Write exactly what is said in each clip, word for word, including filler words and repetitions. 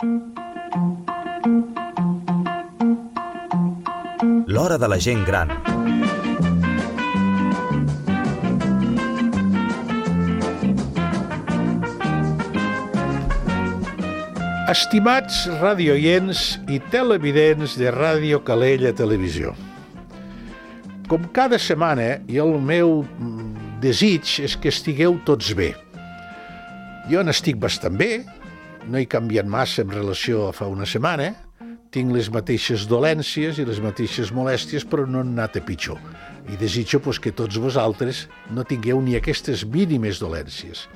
L'hora de la gent gran. Estimats radioients i televidents de Ràdio Calella Televisió. Com cada setmana, i el meu desig és que estigueu tots bé. Jo n'estic bastant bé, no he canviat massa en relació a fa una setmana, tinc les mateixes dolències i les mateixes molèsties, però no han anat a pitjor. I desitjo pues, que tots vosaltres no tingueu ni aquestes mínimes dolències.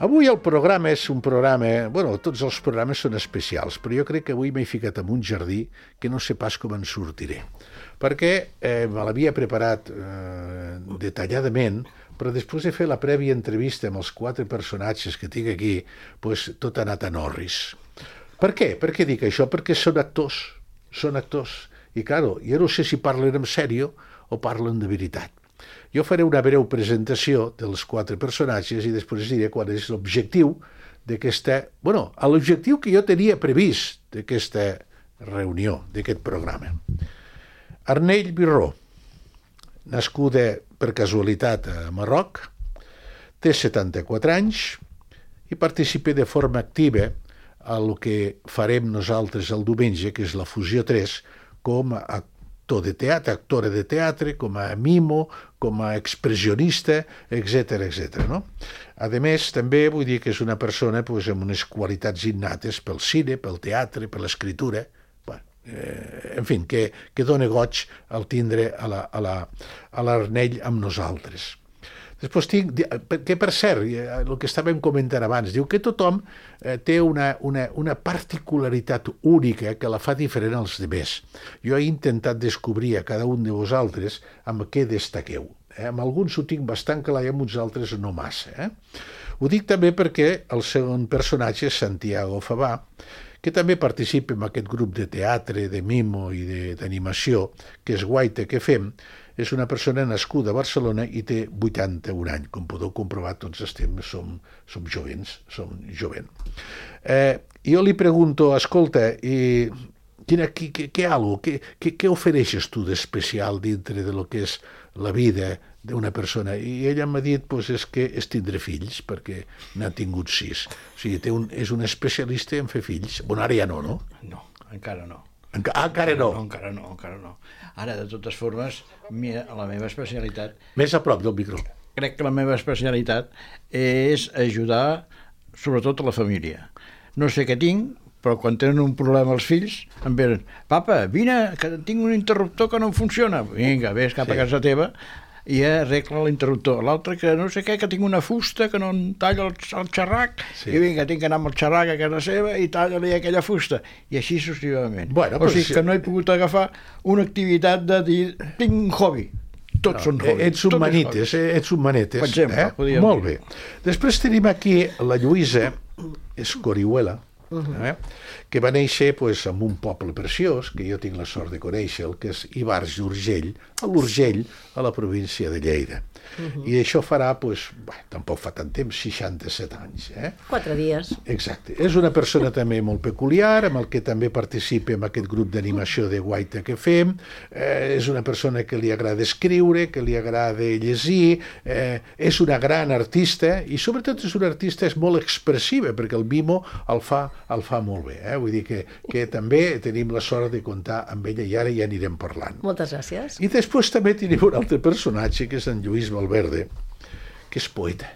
Avui el programa és un programa... Bueno, tots els programes són especials, però jo crec que avui m'he ficat en un jardí que no sé pas com en sortiré. Perquè eh, me l'havia preparat eh, detalladament, però després de fer la prèvia entrevista amb els quatre personatges que tinc aquí, pues, tot ha anat a Norris. Per què? Per què dic això? Perquè són actors, són actors. I, claro, jo no sé si parlen en sèrio o parlen de veritat. Jo faré una breu presentació dels quatre personatges i després diré qual és l'objectiu d'aquesta... Bueno, l'objectiu que jo tenia previst d'aquesta reunió, d'aquest programa. Arnell Birró, nascuda per casualitat a Marroc, té setanta-quatre anys i participa de forma activa a el que farem nosaltres el diumenge, que és la Fusió tres, com a actor de teatre, actora de teatre, com a mimo, com a expressionista, etcètera, etcètera. No? A més, també vull dir que és una persona pues, amb unes qualitats innates pel cine, pel teatre, per l'escriptura, bueno, eh, en fi, que, que dona goig al tindre a la, a la, a l'Arnell amb nosaltres. Després tinc, que per cert, el que estàvem comentant abans, diu que tothom eh, té una, una, una particularitat única que la fa diferent als demés. Jo he intentat descobrir a cada un de vosaltres amb què destaqueu. Eh? Amb alguns ho tinc bastant clar i amb uns altres no massa. Eh? Ho dic també perquè el segon personatge és Santiago Favà, que també participa en aquest grup de teatre, de mimo i d'animació, que és Guaita que fem. És una persona nascuda a Barcelona i té vuitanta-un anys. Com podeu comprovar, tots estem, som, som jovents, som jovent. Eh, jo li pregunto, escolta, i quina, què, què, què, què, què, què ofereixes tu d'especial dintre de lo que és la vida d'una persona? I ella m'ha dit pues, és que és tindre fills, perquè n'ha tingut sis. O sigui, té un, és un especialista en fer fills. Bueno, ara ja no, no? No, encara no. Enca ah, encara no. no? Encara no, encara no. Ara, de totes formes, mira, la meva especialitat... Més a prop del micro. Crec que la meva especialitat és ajudar, sobretot, a la família. No sé què tinc, però quan tenen un problema els fills, em venen, papa, vine, que tinc un interruptor que no funciona. Vinga, vés cap sí. a casa teva i arregla l'interruptor. L'altre que no sé què, que tinc una fusta que no em talla el, el xerrac, sí. i vinga, tinc que anar amb el xerrac a casa seva i talla-li aquella fusta. I així successivament. Bueno, o sigui sí. que no he pogut agafar una activitat de dir, tinc un hobby. Tots no, són hobbies. Ets un manetes, eh? ets un manetes. Per exemple, eh? Molt bé. Després tenim aquí la Lluïsa Escorihuela, uh-huh. eh? que va néixer pues, en un poble preciós, que jo tinc la sort de conèixer, el que és Ivars d'Urgell, a l'Urgell, a la província de Lleida. Uh-huh. I això farà, pues, bé, tampoc fa tant temps, seixanta-set anys. Eh? Quatre dies. Exacte. És una persona també molt peculiar, amb el que també participa en aquest grup d'animació de Guaita que fem. Eh, és una persona que li agrada escriure, que li agrada llegir, eh, és una gran artista i sobretot és una artista és molt expressiva, perquè el mimo el fa, el fa molt bé. Eh? Vull dir que, que també tenim la sort de comptar amb ella i ara ja anirem parlant. Moltes gràcies. I després també tenim un altre personatge, que és en Lluís Valverde, que és poeta.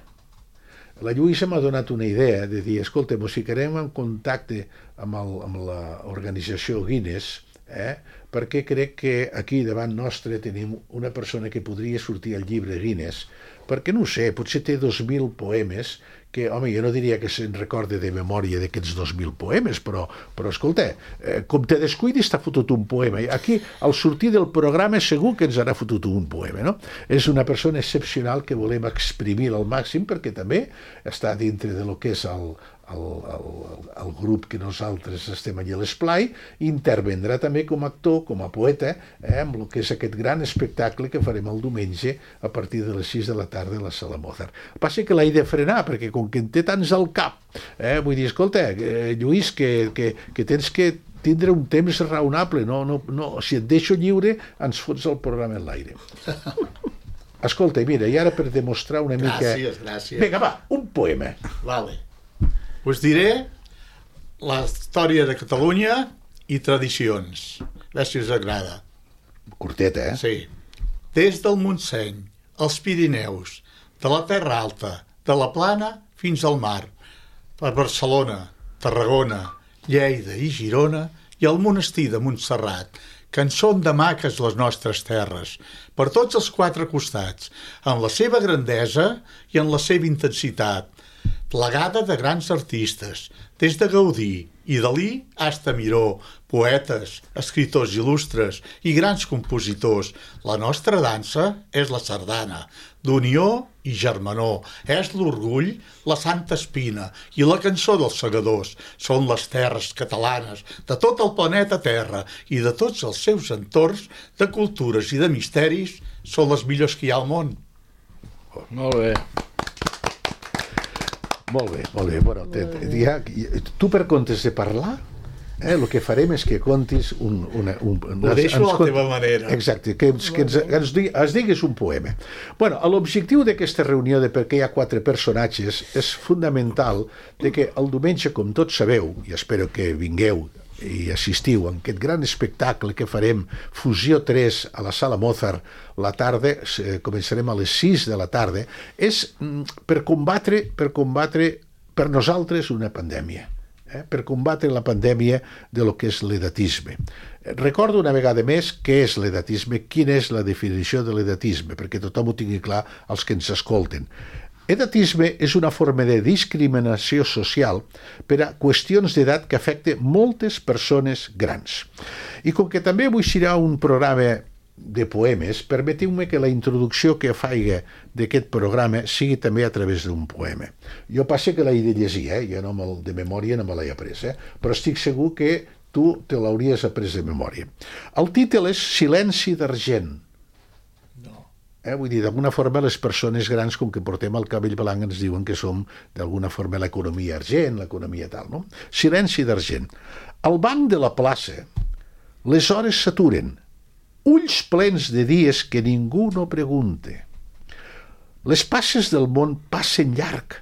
La Lluïsa m'ha donat una idea de dir, escolta, ens ficarem en contacte amb, el, amb l'organització Guinness, eh? perquè crec que aquí davant nostre tenim una persona que podria sortir al llibre Guinness, perquè no ho sé, potser té dos mil poemes que, home, jo no diria que se'n recorde de memòria d'aquests dos mil poemes, però, però escolta, eh, com te descuidis t'ha fotut un poema. Aquí, al sortir del programa, segur que ens harà fotut un poema, no? És una persona excepcional que volem exprimir al màxim, perquè també està dintre de lo que és el, el, el, el el grup que nosaltres estem allà a l'esplai, intervendrà també com a actor, com a poeta, eh, amb el que és aquest gran espectacle que farem el diumenge a partir de les sis de la tarda a la Sala Mozart. El que passa que l'he de frenar, perquè com que en té tants al cap, eh, vull dir, escolta, eh, Lluís, que, que, que tens que tindre un temps raonable, no, no, no, si et deixo lliure ens fots el programa en l'aire. Escolta, mira, i ara per demostrar una mica... Gràcies, gràcies. Vinga, va, un poema. Vale. Us diré la història de Catalunya i tradicions. A veure si us agrada. Curteta, eh? Sí. Des del Montseny, als Pirineus, de la Terra Alta, de la Plana fins al mar, per Barcelona, Tarragona, Lleida i Girona i el monestir de Montserrat, que en són de maques les nostres terres, per tots els quatre costats, en la seva grandesa i en la seva intensitat, plegada de grans artistes, des de Gaudí i Dalí hasta Miró, poetes, escriptors il·lustres i grans compositors. La nostra dansa és la sardana, d'unió i germanor, és l'orgull, la Santa Espina i la cançó dels segadors. Són les terres catalanes de tot el planeta Terra i de tots els seus entorns de cultures i de misteris són les millors que hi ha al món. Molt bé. Molt bé, molt bé. Bueno, te, te, ja, tu per comptes de parlar, eh, el que farem és que contis un... Una, un, un Ho deixo a la teva manera. Exacte, que, ens, que ens, ens, digui, ens digues un poema. Bueno, l'objectiu d'aquesta reunió, de perquè hi ha quatre personatges, és fonamental de que el diumenge, com tots sabeu, i espero que vingueu i assistiu a aquest gran espectacle que farem, Fusió tres, a la Sala Mozart, la tarda, eh, començarem a les sis de la tarda, és mm, per combatre, per combatre per nosaltres una pandèmia, eh, per combatre la pandèmia de lo que és l'edatisme. Recordo una vegada més què és l'edatisme, quina és la definició de l'edatisme, perquè tothom ho tingui clar els que ens escolten. Edatisme és una forma de discriminació social per a qüestions d'edat que afecta moltes persones grans. I com que també avui serà un programa de poemes, permetiu-me que la introducció que faiga d'aquest programa sigui també a través d'un poema. Jo passe que l'he de llegir, eh? Jo no me'l, de memòria no me l'he après, eh? Però estic segur que tu te l'hauries après de memòria. El títol és Silenci d'argent. Eh, vull dir, d'alguna forma les persones grans, com que portem el cabell blanc, ens diuen que som d'alguna forma l'economia argent, l'economia tal, no? Silenci d'argent. Al banc de la plaça les hores s'aturen, ulls plens de dies que ningú no pregunte. Les passes del món passen llarg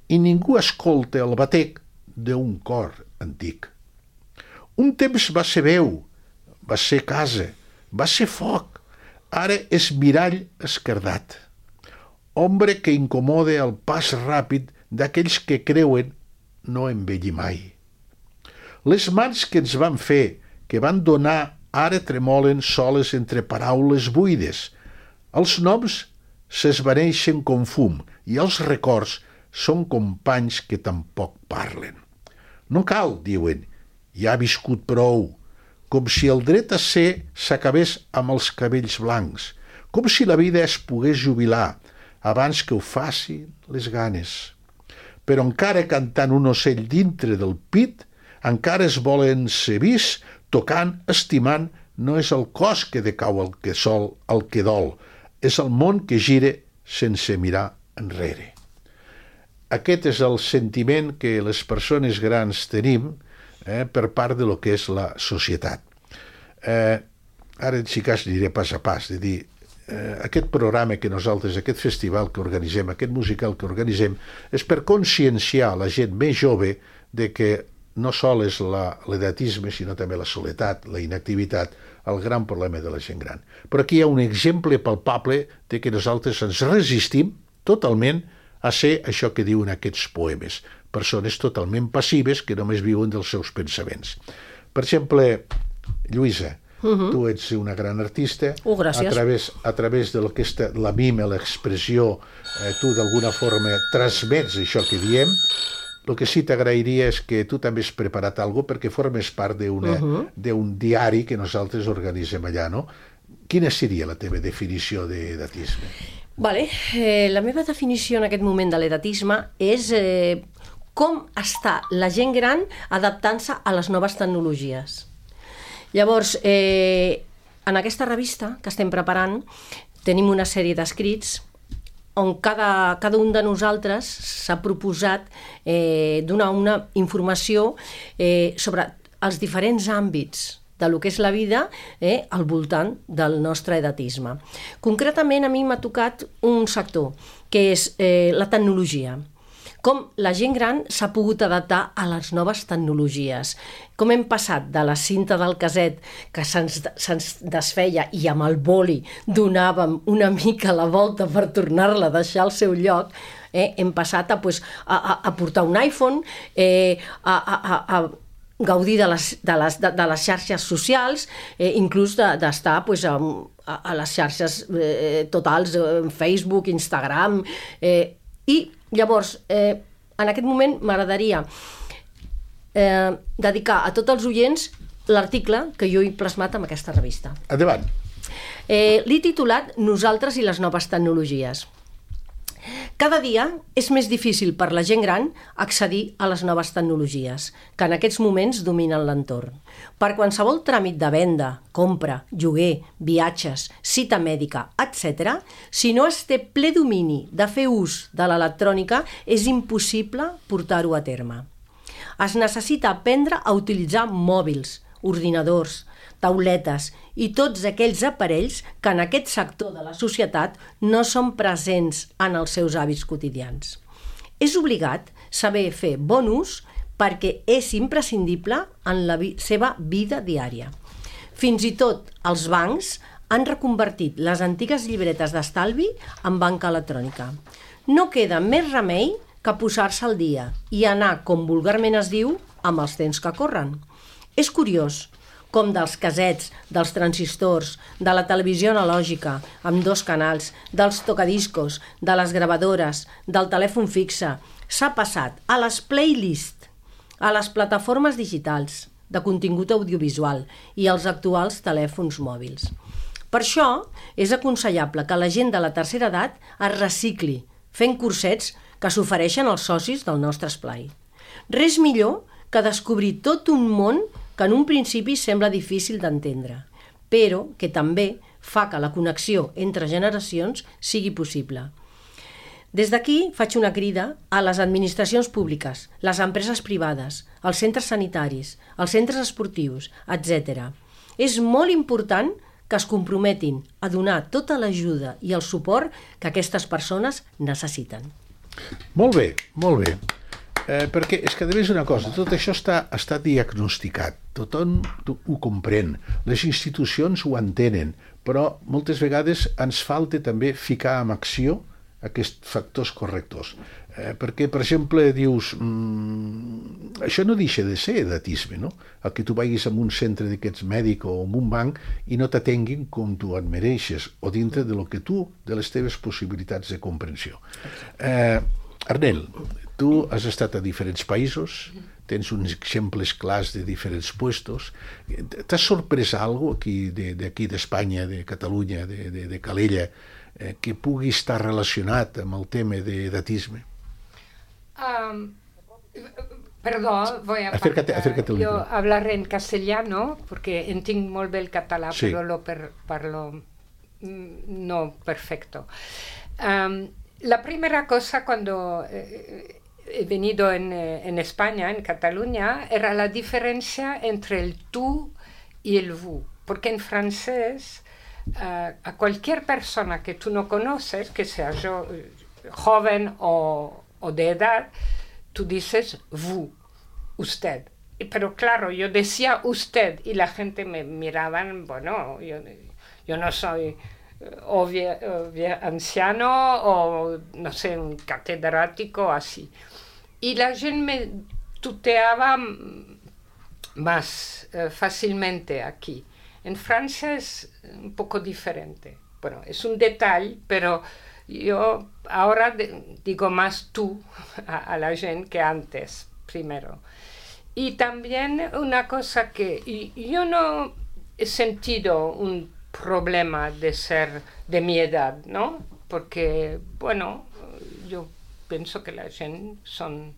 i ningú escolta el batec d'un cor antic. Un temps va ser veu, va ser casa, va ser foc, ara és mirall esquerdat, ombre que incomoda el pas ràpid d'aquells que creuen no envellir mai. Les mans que ens van fer, que van donar, ara tremolen soles entre paraules buides. Els noms s'esvaneixen com fum i els records són companys que tampoc parlen. No cal, diuen, ja ha viscut prou, com si el dret a ser s'acabés amb els cabells blancs, com si la vida es pogués jubilar abans que ho facin les ganes. Però encara cantant un ocell dintre del pit, encara es volen ser vist, tocant, estimant, no és el cos que decau el que sol, el que dol, és el món que gira sense mirar enrere. Aquest és el sentiment que les persones grans tenim, Eh, per part de lo que és la societat. Eh, ara, si cas, aniré pas a pas, de dir, eh, aquest programa que nosaltres, aquest festival que organitzem, aquest musical que organitzem, és per conscienciar la gent més jove de que no sol és l'edatisme, sinó també la soledat, la inactivitat, el gran problema de la gent gran. Però aquí hi ha un exemple palpable de que nosaltres ens resistim totalment a ser això que diuen aquests poemes, persones totalment passives que només viuen dels seus pensaments. Per exemple, Lluïsa, uh-huh. tu ets una gran artista, oh, gràcies. a través, a través de lo que és la mime, l'expressió, eh, tu d'alguna forma transmets això que diem. El que sí t'agrairia és que tu també has preparat alguna cosa perquè formes part d'un uh-huh. diari que nosaltres organitzem allà, no? Quina seria la teva definició d'edatisme? Vale. Eh, la meva definició en aquest moment de l'edatisme és eh, com està la gent gran adaptant-se a les noves tecnologies. Llavors, eh, en aquesta revista que estem preparant tenim una sèrie d'escrits on cada, cada un de nosaltres s'ha proposat eh, donar una informació eh, sobre els diferents àmbits de lo que és la vida eh, al voltant del nostre edatisme. Concretament, a mi m'ha tocat un sector, que és eh, la tecnologia. Com la gent gran s'ha pogut adaptar a les noves tecnologies. Com hem passat de la cinta del caset que se'ns se'ns desfeia i amb el boli donàvem una mica la volta per tornar-la a deixar al seu lloc, eh, hem passat a, pues, a, a, a portar un iPhone, eh, a, a, a, a gaudir de les, de les, de, de les xarxes socials, eh, inclús d'estar de, pues, a, a les xarxes eh, totals, eh, Facebook, Instagram, eh, i llavors, eh, en aquest moment m'agradaria eh, dedicar a tots els oients l'article que jo he plasmat en aquesta revista. Endavant. Eh, L'he titulat Nosaltres i les noves tecnologies. Cada dia és més difícil per la gent gran accedir a les noves tecnologies, que en aquests moments dominen l'entorn. Per qualsevol tràmit de venda, compra, lloguer, viatges, cita mèdica, etcètera, si no es té ple domini de fer ús de l'electrònica, és impossible portar-ho a terme. Es necessita aprendre a utilitzar mòbils, ordinadors, tauletes i tots aquells aparells que en aquest sector de la societat no són presents en els seus hàbits quotidians. És obligat saber fer bon ús perquè és imprescindible en la vi- seva vida diària. Fins i tot els bancs han reconvertit les antigues llibretes d'estalvi en banca electrònica. No queda més remei que posar-se al dia i anar, com vulgarment es diu, amb els temps que corren. És curiós com dels casets, dels transistors, de la televisió analògica, amb dos canals, dels tocadiscos, de les gravadores, del telèfon fixe, s'ha passat a les playlists, a les plataformes digitals de contingut audiovisual i als actuals telèfons mòbils. Per això és aconsellable que la gent de la tercera edat es recicli, fent cursets que s'ofereixen als socis del nostre esplai. Res millor que descobrir tot un món que en un principi sembla difícil d'entendre, però que també fa que la connexió entre generacions sigui possible. Des d'aquí faig una crida a les administracions públiques, les empreses privades, els centres sanitaris, els centres esportius, etcètera. És molt important que es comprometin a donar tota l'ajuda i el suport que aquestes persones necessiten. Molt bé, molt bé. Eh, perquè és que, a més, una cosa, tot això està, està diagnosticat, tothom ho comprèn, les institucions ho entenen, però moltes vegades ens falta també ficar en acció aquests factors correctors. Eh, perquè, per exemple, dius, mmm, això no deixa de ser edatisme, no? El que tu vagis a un centre d'aquests mèdic o en un banc i no t'atenguin com tu et mereixes, o dintre de lo que tu, de les teves possibilitats de comprensió. Eh, Arnel, tu has estat a diferents països, tens uns exemples clars de diferents puestos. T'has sorprès alguna cosa d'aquí d'Espanya, de Catalunya, de, de, de Calella, eh, que pugui estar relacionat amb el tema d'edatisme? Um, perdó, voy a acércate, acércate yo hablar en castellano, porque entiendo muy bien el catalán, sí. Pero lo per, parlo no perfecto. Um, La primera cosa cuando eh, he venido en, eh, en España, en Cataluña, era la diferencia entre el tú y el vous. Porque en francés, uh, a cualquier persona que tú no conoces, que sea yo, joven o, o de edad, tú dices vous, usted. Pero claro, yo decía usted y la gente me miraban, bueno, yo, yo no soy... o vie, o vie, anciano o no sé, un catedrático así. Y la gente me tuteaba más eh, fácilmente aquí. En Francia es un poco diferente. Bueno, es un detalle, pero yo ahora de, digo más tú a, a la gente que antes, primero. Y también una cosa que y, yo no he sentido un problema de ser de mi edad, ¿no? Porque, bueno, yo pienso que la gente son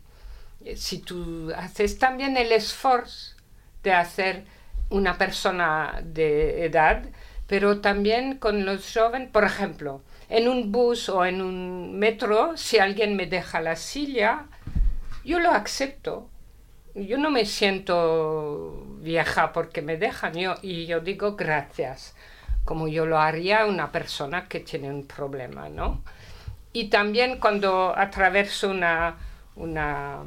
si tú haces también el esfuerzo de hacer una persona de edad, pero también con los jóvenes, por ejemplo, en un bus o en un metro, si alguien me deja la silla, yo lo acepto. Yo no me siento vieja porque me dejan, yo, y yo digo gracias, como yo lo haría una persona que tiene un problema, ¿no? Y también cuando atraveso una, una,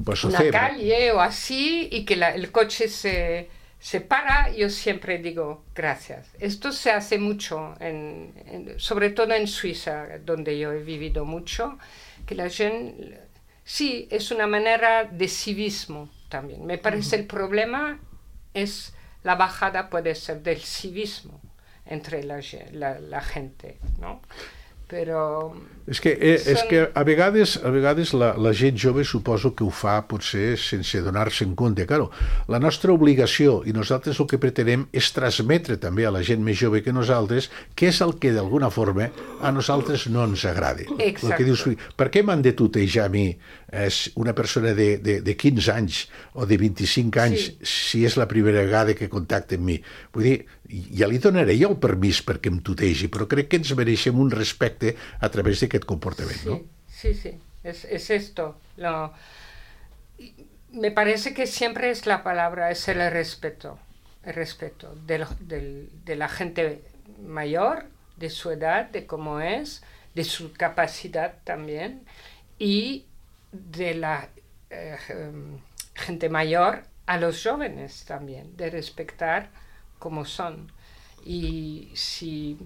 pues una calle o así y que la, el coche se, se para, yo siempre digo gracias. Esto se hace mucho, en, en, sobre todo en Suiza, donde yo he vivido mucho, que la gente... Sí, es una manera de civismo también. Me parece el problema es la bajada puede ser del civismo entre la, la, la gente, ¿no? Però... És que, eh, són... és que a vegades, a vegades la, la gent jove suposo que ho fa potser sense donar-se en compte. Claro, la nostra obligació i nosaltres el que pretenem és transmetre també a la gent més jove que nosaltres què és el que d'alguna forma a nosaltres no ens agrada. El que dius, per què m'han de tutejar a mi és una persona de, de, de quinze anys o de vint-i-cinc anys sí. si és la primera vegada que contacta amb mi? Vull dir, ja li donaré jo el permís perquè em tutegi, però crec que ens mereixem un respecte a través d'aquest comportament, ¿no? Sí, sí, sí. Es, es esto. Lo... Me parece que siempre es la palabra, es el respeto, el respeto de, lo, de, de la gente mayor, de su edad, de cómo es, de su capacidad también, y de la eh, gente mayor a los jóvenes también, de respetar como son. Y si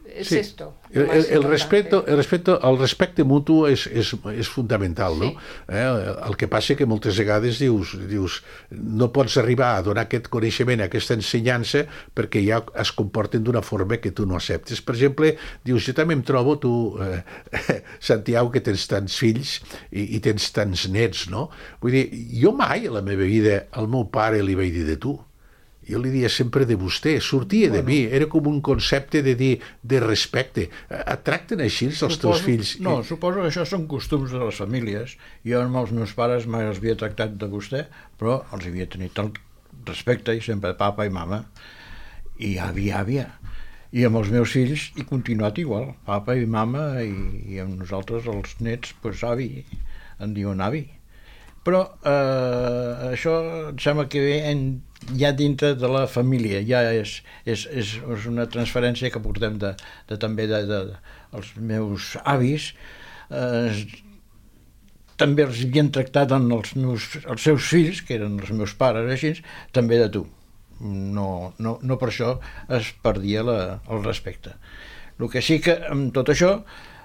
es sí. esto. El, el, el, respeto, el, respeto, el respecte mutu és, és, és fundamental, no? Sí. Eh? El que passa que moltes vegades dius, dius no pots arribar a donar aquest coneixement, aquesta ensenyança, perquè ja es comporten d'una forma que tu no acceptes. Per exemple, dius, jo també em trobo, tu, eh, Santiago, que tens tants fills i, i tens tants nets, no? Vull dir, jo mai a la meva vida al meu pare li vaig dir de tu. Jo li dia sempre de vostè, sortia bueno. de mi, era com un concepte de dir de respecte. Et tracten així els suposo, teus fills? No, suposo que això són costums de les famílies. Jo amb els meus pares mai els havia tractat de vostè, però els havia tenit el respecte, i sempre papa i mama, i avi, àvia. I amb els meus fills he continuat igual, papa i mama, i, i amb nosaltres, els nets, doncs avi, en diuen avi. Però eh, això em sembla que ve en, ja dintre de la família, ja és, és, és, és una transferència que portem de, de, també de, de, de, els meus avis, eh, també els havien tractat en els, meus, els seus fills, que eren els meus pares, així, també de tu. No, no, no per això es perdia la, el respecte. El que sí que amb tot això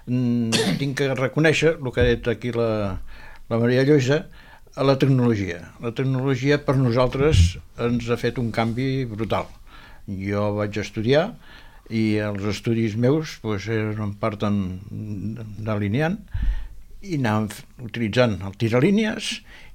tinc que reconèixer, el que ha dit aquí la, la Maria Lluïsa, a la tecnologia. La tecnologia per nosaltres ens ha fet un canvi brutal. Jo vaig estudiar i els estudis meus doncs, eren en part d'alineant i anàvem utilitzant el tiralínies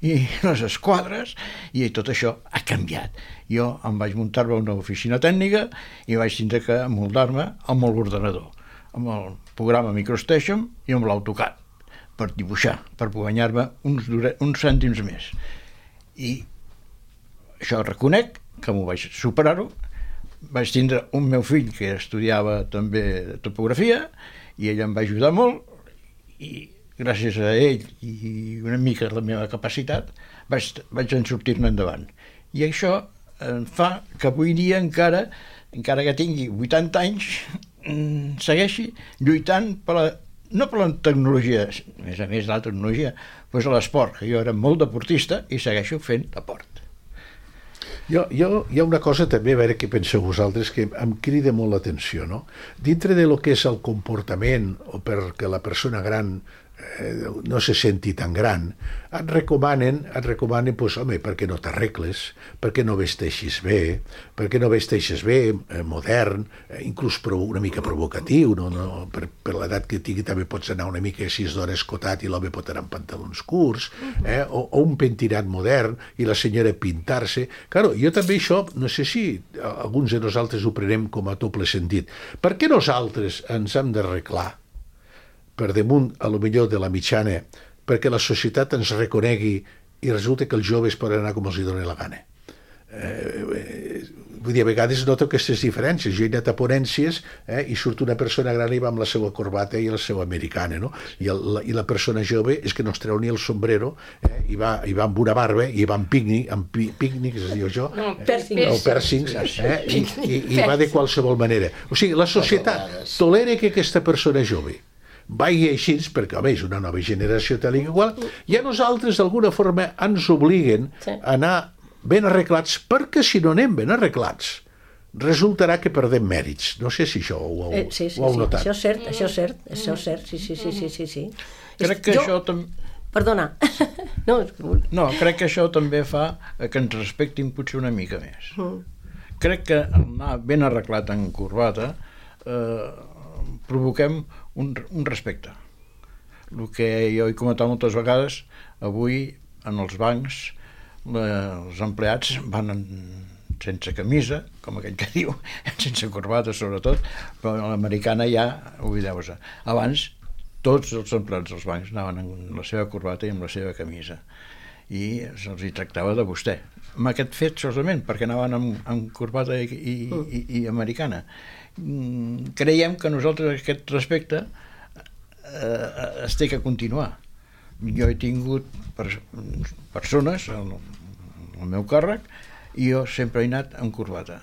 i les esquadres i tot això ha canviat. Jo em vaig muntar-me una oficina tècnica i vaig tindre que moldar-me amb l'ordenador, amb el programa MicroStation i amb l'AutoCAD, per dibuixar, per guanyar-me uns, uns cèntims més. I això reconec que m'ho vaig superar-ho. Vaig tindre un meu fill que estudiava també topografia i ell em va ajudar molt i gràcies a ell i una mica la meva capacitat vaig, vaig en sortir-ne endavant. I això em fa que avui dia encara, encara que tingui vuitanta anys, segueixi lluitant per la no per la tecnologia, a més a més de la tecnologia, doncs a l'esport, que jo era molt deportista i segueixo fent deport. Jo, jo, hi ha una cosa també, a veure què penseu vosaltres, que em crida molt l'atenció, no? Dintre de lo que és el comportament, o perquè la persona gran eh, no se senti tan gran, et recomanen, et recomanen, doncs, home, per què no t'arregles, per què no vesteixis bé, per què no vesteixis bé, eh, modern, eh, inclús una mica provocatiu, no? No, per, per l'edat que tingui també pots anar una mica sis d'hora escotat i l'home pot anar amb pantalons curts, eh? o, o un pentinat modern i la senyora pintar-se. Claro, jo també això, no sé si alguns de nosaltres ho prenem com a doble sentit. Per què nosaltres ens hem d'arreglar per damunt, a lo millor, de la mitjana perquè la societat ens reconegui i resulta que els joves poden anar com els hi doni la gana. Eh, vull dir, a vegades noto aquestes diferències. Jo he anat a ponències eh, i surt una persona gran i va amb la seva corbata i la seva americana, no? I, el, la, i la persona jove és que no es treu ni el sombrero eh, i, va, i va amb una barba i va amb pícnic, amb pi, pícnic, es diu això, no, eh, piercing. o piercings, eh, i, i, i va de qualsevol manera. O sigui, la societat tolera que aquesta persona jove vagi així, perquè home, és una nova generació tal i qual, i a nosaltres d'alguna forma ens obliguen a anar ben arreglats, perquè si no anem ben arreglats resultarà que perdem mèrits. No sé si això ho heu, eh, sí, sí, ho heu sí. notat. Això és cert, això és cert, això és cert, sí, sí, sí, sí, sí, sí. Crec que jo... això també... Perdona. no, no, crec que això també fa que ens respectin potser una mica més. Mm. Crec que anar ben arreglat en corbata eh, provoquem un, un respecte. El que jo he comentat moltes vegades, avui en els bancs els empleats van en, sense camisa, com aquell que diu, sense corbata sobretot, però l'americana ja, oblideu-vos. Abans tots els empleats dels bancs anaven amb la seva corbata i amb la seva camisa i se'ls hi tractava de vostè. Amb aquest fet solament, perquè anaven amb, amb corbata i, i, i, i americana. Creiem que nosaltres aquest respecte eh, es té que continuar. Jo he tingut per, persones al, al meu càrrec i jo sempre he anat amb corbata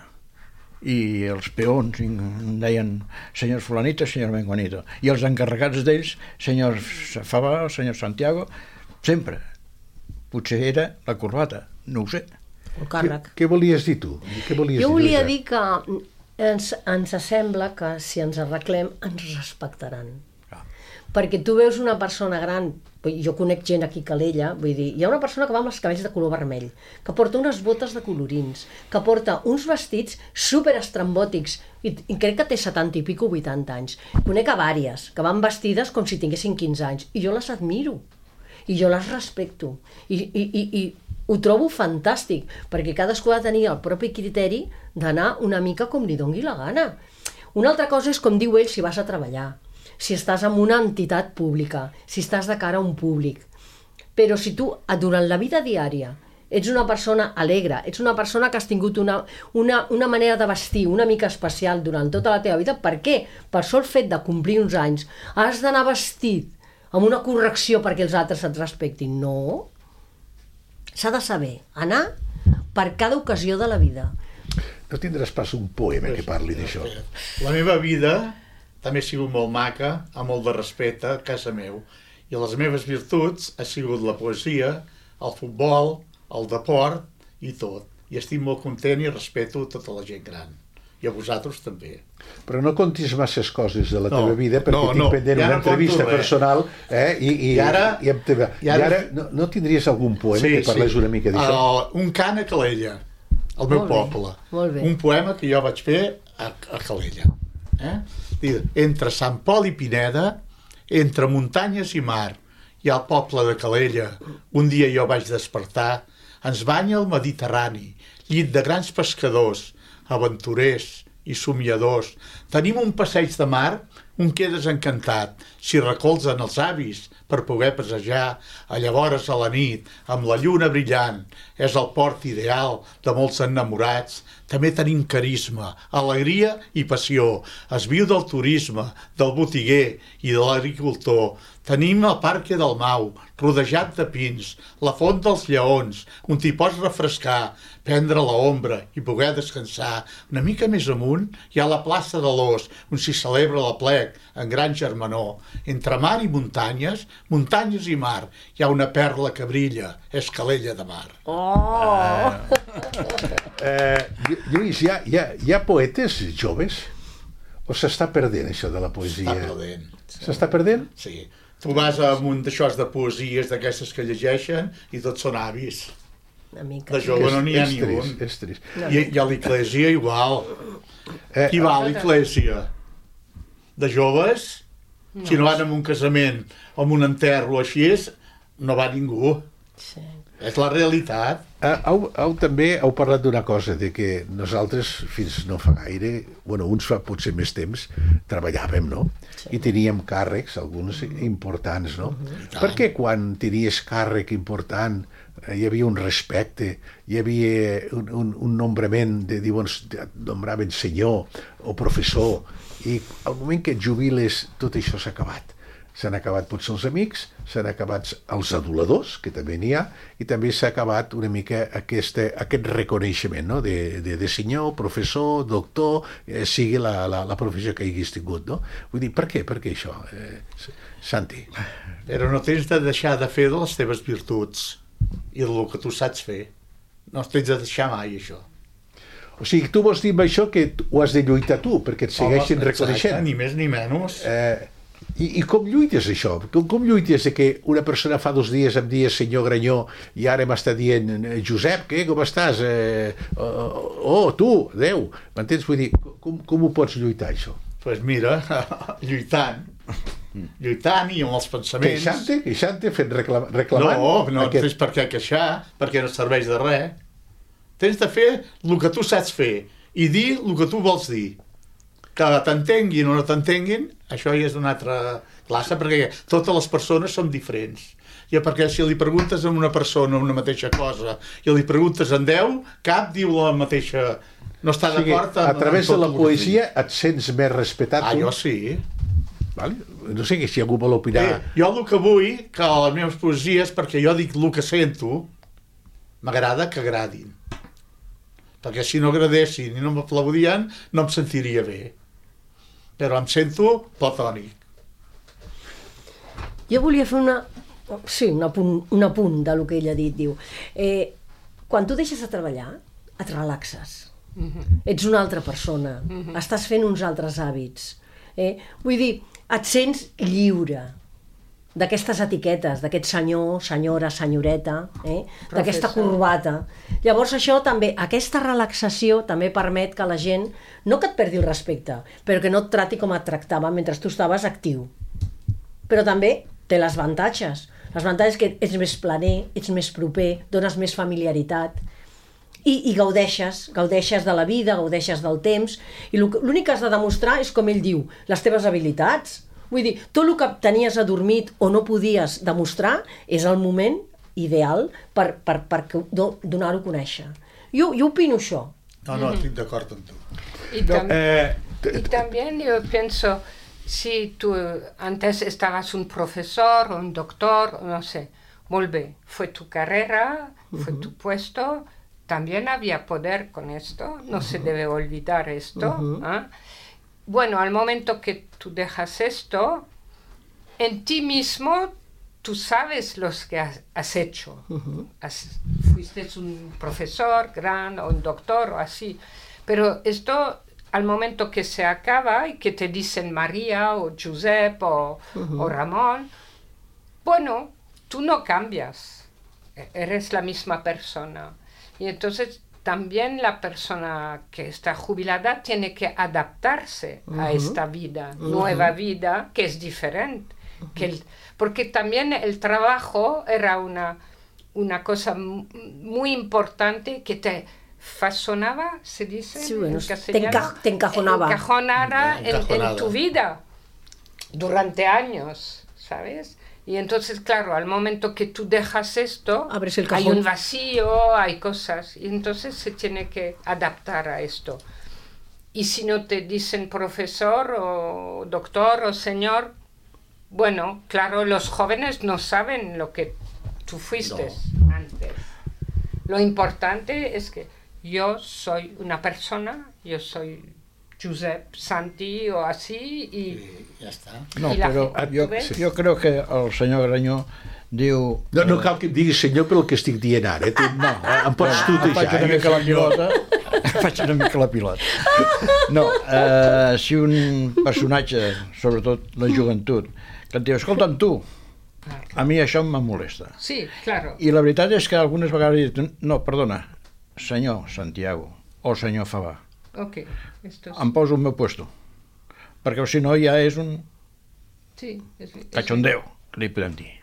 i els peons em deien senyor fulanito, senyor menguanito, i els encarregats d'ells senyor Fava, senyor Santiago, sempre potser era la corbata, no ho sé. El càrrec. Què, què volies dir tu? Què volies jo dir, volia Lluïsa? dir que ens, ens sembla que si ens arreglem ens respectaran. Perquè tu veus una persona gran, jo conec gent aquí a Calella, vull dir, hi ha una persona que va amb els cabells de color vermell, que porta unes botes de colorins, que porta uns vestits super estrambòtics, i, i crec que té setanta i pico, vuitanta anys. Conec a vàries, que van vestides com si tinguessin quinze anys, i jo les admiro, i jo les respecto, i, i, i, i ho trobo fantàstic, perquè cadascú ha de tenir el propi criteri d'anar una mica com li doni la gana. Una altra cosa és com diu ell si vas a treballar, si estàs en una entitat pública, si estàs de cara a un públic. Però si tu, durant la vida diària, ets una persona alegre, ets una persona que has tingut una, una, una manera de vestir una mica especial durant tota la teva vida, per què? Per sol fet de complir uns anys, has d'anar vestit amb una correcció perquè els altres et respectin. No. S'ha de saber anar per cada ocasió de la vida. No tindràs pas un poema que parli d'això. La meva vida també ha sigut molt maca, amb molt de respecte a casa meu. I les meves virtuts ha sigut la poesia, el futbol, el deport i tot. I estic molt content i respeto tota la gent gran. I a vosaltres també. Però no contis masses coses de la no, teva vida, perquè no, tinc no, pendent una entrevista personal eh, i, i, I ara, i, amb teva. I ara, I ara no, no tindries algun poema sí, que parlés sí. una mica d'això? Uh, un cant a Calella, al meu molt poble. Bé, molt bé. Un poema que jo vaig fer a, a Calella. Eh? Entre Sant Pol i Pineda, entre muntanyes i mar, i al poble de Calella, un dia jo vaig despertar, ens banya el Mediterrani, llit de grans pescadors, aventurers i somiadors. Tenim un passeig de mar, un quedes encantat, si recolzen els avis per poder passejar, a llavors a la nit, amb la lluna brillant, és el port ideal de molts enamorats. També tenim carisma, alegria i passió. Es viu del turisme, del botiguer i de l'agricultor. Tenim el Parque del Mau, rodejat de pins, la Font dels Lleons, on t'hi pots refrescar, prendre l'ombra i poder descansar. Una mica més amunt hi ha la plaça de l'Os, on s'hi celebra l'aplec en gran germanor. Entre mar i muntanyes, muntanyes i mar, hi ha una perla que brilla, és Calella de Mar. Oh! Eh, Lluís, hi ha, hi, ha, hi ha poetes joves? O s'està perdent això de la poesia? S'està perdent. S'està perdent? Sí. Tu vas a un d'aixòs de poesies d'aquestes que llegeixen i tots són avis. Una mica. De jove no n'hi ha és ni trist, un. és trist. I, I a l'Iglésia igual. Eh, Qui va a l'Iglésia? De joves? Si no van a un casament o a un enterro o així, no va ningú. Sí. És la realitat. Uh, heu, heu també heu parlat d'una cosa, de que nosaltres fins no fa gaire, bueno, uns fa potser més temps, treballàvem, no? Sí. I teníem càrrecs, alguns importants, no? Uh-huh. Perquè quan tenies càrrec important hi havia un respecte, hi havia un, un, un nombrament de, diuen, nombraven senyor o professor, i al moment que et jubiles tot això s'ha acabat. S'han acabat potser els amics, s'han acabat els aduladors, que també n'hi ha, i també s'ha acabat una mica aquesta, aquest reconeixement, no? de, de, de senyor, professor, doctor, eh, sigui la, la, la professió que haguis tingut. No? Vull dir, per què? Per què això, eh, Santi? Però no tens de deixar de fer de les teves virtuts i del que tu saps fer. No tens de deixar mai, això. O sigui, tu vols dir amb això que ho has de lluitar tu, perquè et segueixin Home, reconeixent. Exacte, ni més ni menys. Eh, i, I com lluites això? Com, com lluites de que una persona fa dos dies em dia senyor Granyó i ara m'està dient Josep, què, com estàs? Eh, oh, oh, tu, Déu. M'entens? Vull dir, com, com ho pots lluitar, això? Doncs pues mira, lluitant. Lluitant i amb els pensaments. Queixant-te? Queixant-te? Fent reclam reclamant? No, no aquest... tens per què queixar, perquè no serveix de res. Tens de fer el que tu saps fer i dir el que tu vols dir. Que t'entenguin o no t'entenguin, això ja és d'una altra classe, perquè totes les persones són diferents. Ja perquè si li preguntes a una persona una mateixa cosa i li preguntes en deu, cap diu la mateixa... No està o sigui, d'acord a amb... través de la poesia et sents més respectat? Ah, tu? jo sí. Vale. No sé si algú vol opinar... Eh, jo el que vull, que a les meves poesies, perquè jo dic el que sento, m'agrada que agradin. Perquè si no agradessin i no m'aplaudien, no em sentiria bé. Però em sento platònic. Jo volia fer una... Sí, un apunt, un apunt del que ella ha dit. Diu, eh, quan tu deixes de treballar, et relaxes. Mm-hmm. Ets una altra persona. Mm-hmm. Estàs fent uns altres hàbits. Eh? Vull dir, et sents lliure d'aquestes etiquetes, d'aquest senyor, senyora, senyoreta, eh? D'aquesta corbata. Llavors això també, aquesta relaxació també permet que la gent, no que et perdi el respecte, però que no et trati com et tractava mentre tu estaves actiu. Però també té les avantatges. Les avantatges que ets més planer, ets més proper, dones més familiaritat i, i gaudeixes, gaudeixes de la vida, gaudeixes del temps, i l'únic que has de demostrar és, com ell diu, les teves habilitats. Vull dir, tot el que tenies adormit o no podies demostrar és el moment ideal per, per, per donar-ho a conèixer. Jo, jo opino això. No, no, estic d'acord amb tu. Y, tam eh, y también yo pienso, si tú antes estabas un profesor o un doctor, no sé, muy bien, fue tu carrera, fue uh-huh. tu puesto, también había poder con esto, no uh-huh. se debe olvidar esto, uh-huh. ¿eh? Bueno, al momento que tú dejas esto, en ti mismo tú sabes lo que has, has hecho. Uh-huh. Has, fuiste un profesor gran o un doctor o así. Pero esto, al momento que se acaba y que te dicen María o Josep o, uh-huh. o Ramón, bueno, tú no cambias. Eres la misma persona. Y entonces... también la persona que está jubilada tiene que adaptarse uh-huh. a esta vida, uh-huh. nueva vida, que es diferente. Uh-huh. Que el, porque también el trabajo era una, una cosa muy importante que te fasonaba, se dice sí, bueno, en castellano, te, enca te encajonaba, encajonara en, en tu vida durante años, ¿sabes? Y entonces, claro, al momento que tú dejas esto, hay un vacío, hay cosas, y entonces se tiene que adaptar a esto. Y si no te dicen profesor o doctor o señor, bueno, claro, los jóvenes no saben lo que tú fuiste no. antes. Lo importante es que yo soy una persona, yo soy... Josep, Santi o así i... I ja està. No, però jo, jo crec que el senyor Granyó diu... No, no cal que em diguis senyor pel que estic dient ara. Eh? Tu, no, em pots tutejar. Faig una mica la pilota. Faig una mica la pilota. No, eh, si un personatge, sobretot la joventut, que et diu, escolta'm tu, a mi això em molesta. Sí, claro. I la veritat és que algunes vegades dic, no, perdona, senyor Santiago o senyor Favà, okay, esto es... em poso el meu puesto, perquè si no ja és un sí, és, cachondeo, que li podem dir.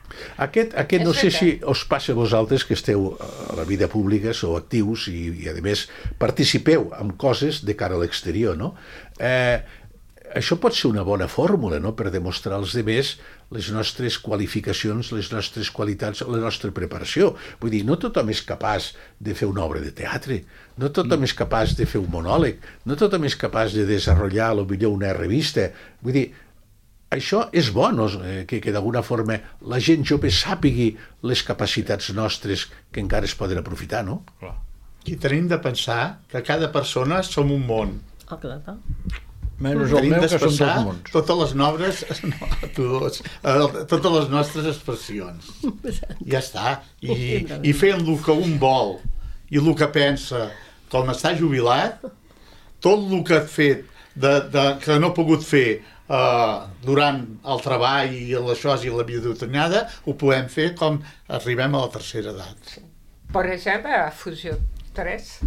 Aquest, aquest no sé si us passa a vosaltres que esteu a la vida pública, sou actius i, i a més participeu en coses de cara a l'exterior, no? Eh, això pot ser una bona fórmula, no?, per demostrar als demés les nostres qualificacions, les nostres qualitats, la nostra preparació. Vull dir, no tothom és capaç de fer una obra de teatre, no tothom és capaç de fer un monòleg, no tothom és capaç de desenvolupar potser una revista. Vull dir, això és bo, no? que, que d'alguna forma la gent jove sàpigui les capacitats nostres que encara es poden aprofitar, no? Clar. I tenim de pensar que cada persona som un món. Ah, clar, clar. Menys el meu, que són dos mons. Totes les noves, no, tots, totes les nostres expressions. Ja està. I, i fent el que un vol i el que pensa, com està jubilat, tot el que ha fet de, de, que no ha pogut fer uh, durant el treball i això i la vidutinada, ho podem fer com arribem a la tercera edat. Per exemple, a Fusió tres.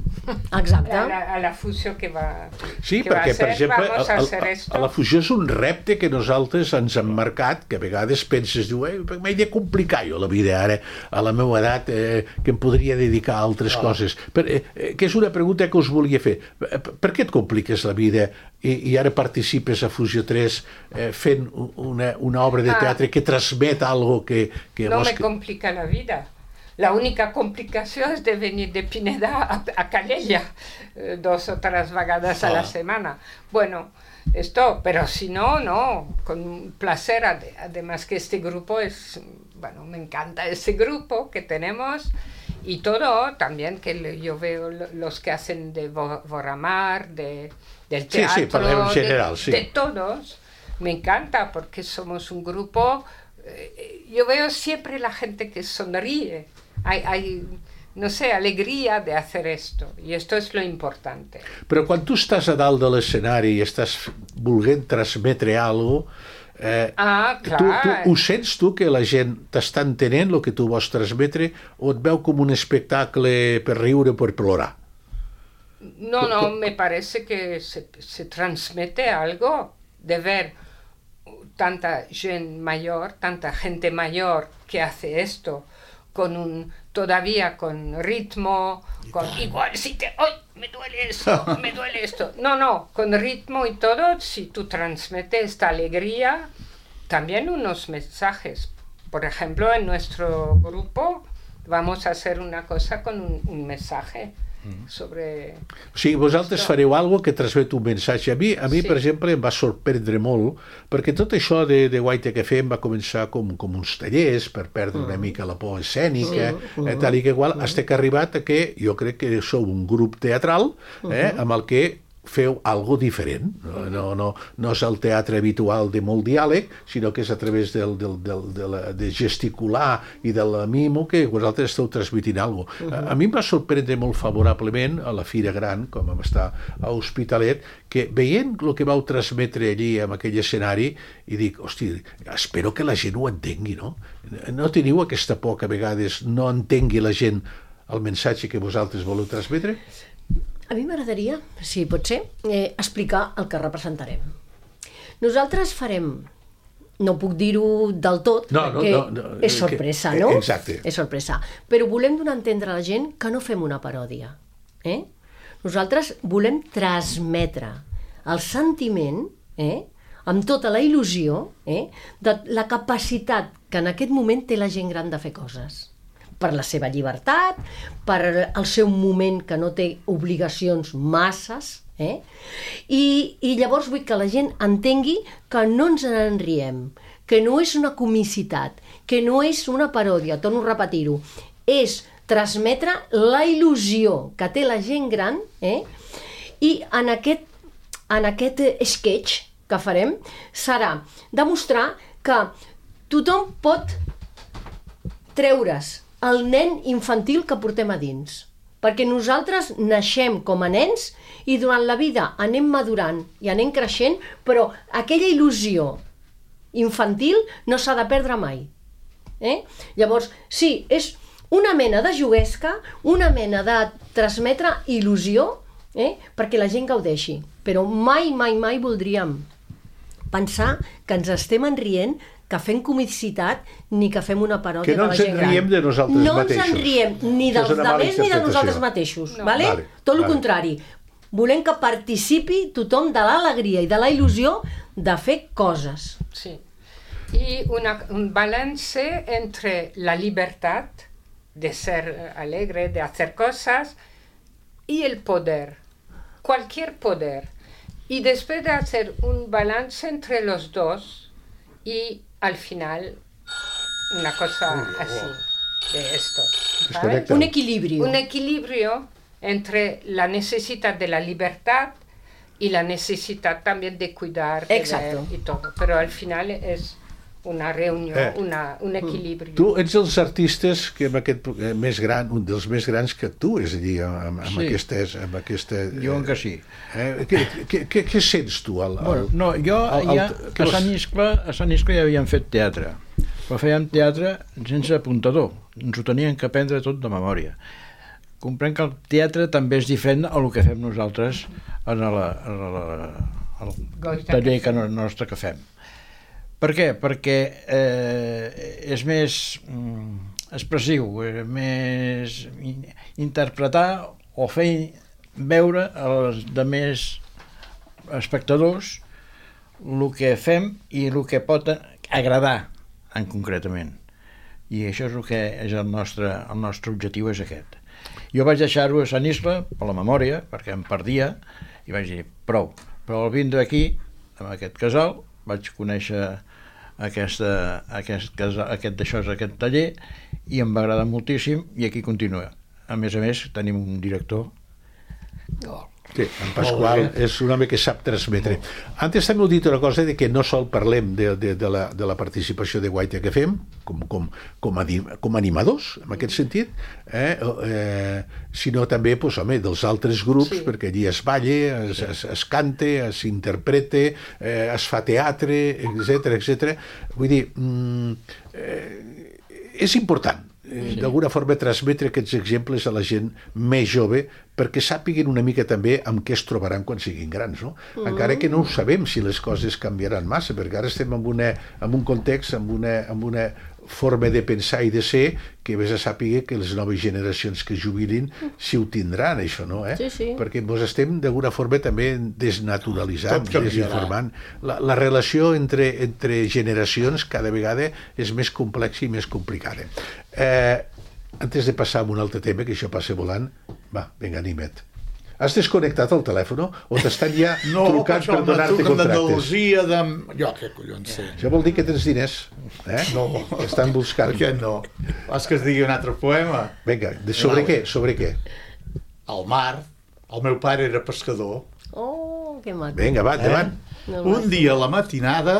Exacte. A la, a la fusió que va, sí, que perquè, va ser, per exemple, vamos a, a, hacer a, esto. a la fusió és un repte que nosaltres ens hem marcat, que a vegades penses, diu, eh, m'he de complicar jo la vida ara, a la meva edat, eh, que em podria dedicar a altres oh. coses. Per, eh, que és una pregunta que us volia fer. Per, per què et compliques la vida i, i ara participes a Fusió tres eh, fent una, una obra de teatre ah. que transmet algo que... que no vos me que... complica la vida. La única complicació és de venir de Pineda a, a Calella eh, dos o tres vegades a la semana. Bueno, esto, pero si no, no, con placer. Además que este grupo es, bueno, me encanta ese grupo que tenemos y todo, también que yo veo los que hacen de Voramar, de, del teatro, sí, sí, para en general, de, sí. de todos, me encanta porque somos un grupo, eh, yo veo siempre la gente que sonríe. Hay, hay, no sé, alegria de hacer esto, i esto és lo importante. Però quan tu estàs a dalt de l'escenari i estàs volent transmetre alguna cosa, eh, ah, clar. tu, tu, ho sents tu que la gent t'està entenent el que tu vols transmetre o et veu com un espectacle per riure o per plorar? No, no, me parece que se, se transmete algo de ver tanta gente mayor, tanta gente mayor que hace esto, con un, todavía con ritmo, con igual si te, ¡ay, me duele esto, me duele esto! No, no, con ritmo y todo, si tú transmites esta alegría, también unos mensajes. Por ejemplo, en nuestro grupo vamos a hacer una cosa con un, un mensaje sobre... O sigui, vosaltres esto. Fareu alguna que transmet un missatge. A mi, a mi sí. per exemple, em va sorprendre molt, perquè tot això de, de Guaita que fem va començar com, com uns tallers per perdre una mica la por escènica, uh -huh. eh, tal i que igual, fins que ha arribat a que jo crec que sou un grup teatral eh, amb el que feu algo diferent. No, no, no, no és el teatre habitual de molt diàleg, sinó que és a través del, del, del, de, la, de gesticular i de la mimo que vosaltres esteu transmitint alguna cosa. Uh -huh. A mi em va sorprendre molt favorablement a la Fira Gran, com vam estar a Hospitalet, que veient el que vau transmetre allí en aquell escenari, i dic, hosti, espero que la gent ho entengui, no? No teniu aquesta por que a vegades no entengui la gent el missatge que vosaltres voleu transmetre? A mi m'agradaria, si pot ser, eh, explicar el que representarem. Nosaltres farem, no puc dir-ho del tot, no, perquè no, no, no, és sorpresa, que, no? Exacte. És sorpresa. Però volem donar a entendre a la gent que no fem una paròdia. Eh? Nosaltres volem transmetre el sentiment, eh, amb tota la il·lusió, eh, de la capacitat que en aquest moment té la gent gran de fer coses. Per la seva llibertat, per el seu moment que no té obligacions masses, eh? I, i llavors vull que la gent entengui que no ens en riem, que no és una comicitat, que no és una paròdia, torno a repetir-ho, és transmetre la il·lusió que té la gent gran, eh? I en aquest, en aquest sketch que farem serà demostrar que tothom pot treure's el nen infantil que portem a dins. Perquè nosaltres naixem com a nens i durant la vida anem madurant i anem creixent, però aquella il·lusió infantil no s'ha de perdre mai. Eh? Llavors, sí, és una mena de juguesca, una mena de transmetre il·lusió, eh? perquè la gent gaudeixi. Però mai, mai, mai voldríem pensar que ens estem enrient que fem comicitat ni que fem una paròdia Que no de la ens gent gran. en riem de nosaltres no mateixos. No ens en riem ni Això és dels una mala altres ni de interpretació. nosaltres mateixos. No. Vale? Vale, Tot el vale. contrari. Volem que participi tothom de l'alegria i de la il·lusió de fer coses. Sí. Y una, un balance entre la libertad de ser alegre, de hacer cosas, y el poder, cualquier poder. Y después de hacer un balance entre los dos, y al final una cosa así, de esto. Es ¿sabes? correcte. Un equilibrio. Un equilibrio entre la necesidad de la libertad y la necesidad también de cuidar, de Exacto. ver y todo. Pero al final es una reunión, Eh. una, un equilibrio. Tu ets els artistes que amb aquest, eh, més gran, un dels més grans que tu, és a dir, amb, amb Sí. aquestes... Amb aquesta, Diuen que sí. Eh, què, què, què, què sents tu? El, el, Bueno, no, jo el- el- ja, que a les- Sant Iscle, a Sant Iscle ja havíem fet teatre, però fèiem teatre sense apuntador, ens ho tenien que aprendre tot de memòria. Comprenc que el teatre també és diferent a el que fem nosaltres en el, en el, el Goita taller que que no, nostre que fem. Per què? Perquè eh, és més mm, expressiu, és més in, interpretar o fer veure als altres espectadors el que fem i el que pot agradar en concretament. I això és el que és el nostre, el nostre objectiu és aquest. Jo vaig deixar-ho a Sant Iscle per la memòria, perquè em perdia, i vaig dir, prou. Però al vindre aquí, amb aquest casal, vaig conèixer aquesta, aquest, casal, aquest, això, aquest taller, i em va agradar moltíssim, i aquí continua. A més a més, tenim un director. Sí, en Pasqual és un home que sap transmetre. Antes també heu dit una cosa de que no sol parlem de, de, de, la, de la participació de Guaita que fem com, com, com, a, com a animadors, en aquest sentit, eh? Eh, sinó també pues, home, dels altres grups, Sí. perquè allí es balla, es, es, es canta, es interpreta, eh, es fa teatre, etcètera, etcètera. Vull dir, mm, eh, és important eh, d'alguna forma transmetre aquests exemples a la gent més jove perquè sàpiguen una mica també amb què es trobaran quan siguin grans, no? Mm. Encara que no ho sabem si les coses canviaran massa, perquè ara estem en, una, en un context, en una, en una forma de pensar i de ser que vés a sàpiga que les noves generacions que jubilin si ho tindran, això, no? Eh? Sí, sí. Perquè ens estem d'alguna forma també desnaturalitzant, Tot canviarà. desinformant. La, la relació entre, entre generacions cada vegada és més complexa i més complicada. Eh, antes de passar a un altre tema, que això passa volant, va, vinga, anima't. Has desconnectat el telèfon o t'estan ja No, trucant per donar-te contractes? d'Andalusia, de... Jo què collons sé. Això vol dir que tens diners, eh? No. Que estan buscant. Per què no? Vols que es digui un altre poema? Vinga, de sobre què? Sobre què? Al mar. El meu pare era pescador. Oh, que maco. Vinga, va, endavant. No, Un dia a la matinada